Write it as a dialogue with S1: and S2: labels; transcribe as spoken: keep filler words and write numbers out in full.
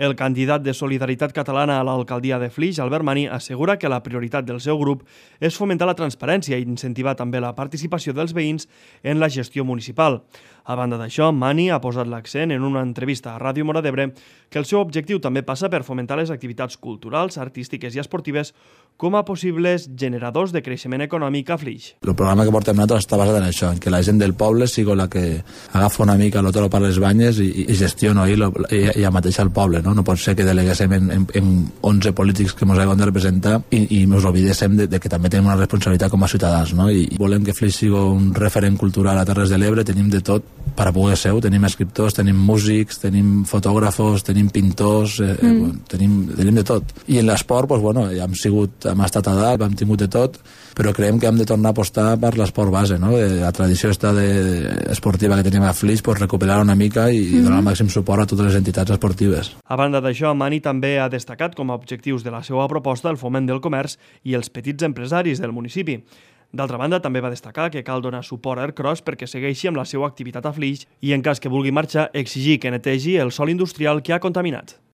S1: El candidat de Solidaritat Catalana a l'alcaldia de Flix, Albert Mani, assegura que la prioritat del seu grup és fomentar la transparència i incentivar també la participació dels veïns en la gestió municipal. A banda d'això, Mani ha posat l'accent en una entrevista a Ràdio Móra d'Ebre que el seu objectiu també passa per fomentar les activitats culturals, artístiques i esportives com a possibles generadors de creixement econòmic a Flix.
S2: El programa que portem nosaltres està basat en això, en que la gent del poble sigui la que agafa una mica l'otro per les banyes i, i gestiona i, i, i ja mateix al poble. No? No pot ser que deleguéssim en, en, en onze polítics que ens haguem de representar i, i ens oblidéssim de, de que també tenim una responsabilitat com a ciutadans. No? I volem que Flix sigui un referent cultural a Terres de l'Ebre, tenim de tot per a poder ser-ho, tenim escriptors, tenim músics, tenim fotògrafos, tenim pintors, eh, mm. tenim, tenim de tot. I en l'esport, doncs, bueno, ja hem, sigut, hem estat a dalt, hem tingut de tot, però creiem que hem de tornar a apostar per l'esport base, no? De la tradició esta de, de esportiva que tenim a Flix, pues, recuperar una mica i, mm. i donar el màxim suport a totes les entitats esportives.
S1: A banda d'això, Mani també ha destacat com a objectius de la seva proposta el foment del comerç i els petits empresaris del municipi. D'altra banda, també va destacar que cal donar suport a Aircross perquè segueixi amb la seva activitat a Flix i, en cas que vulgui marxar, exigir que netegi el sòl industrial que ha contaminat.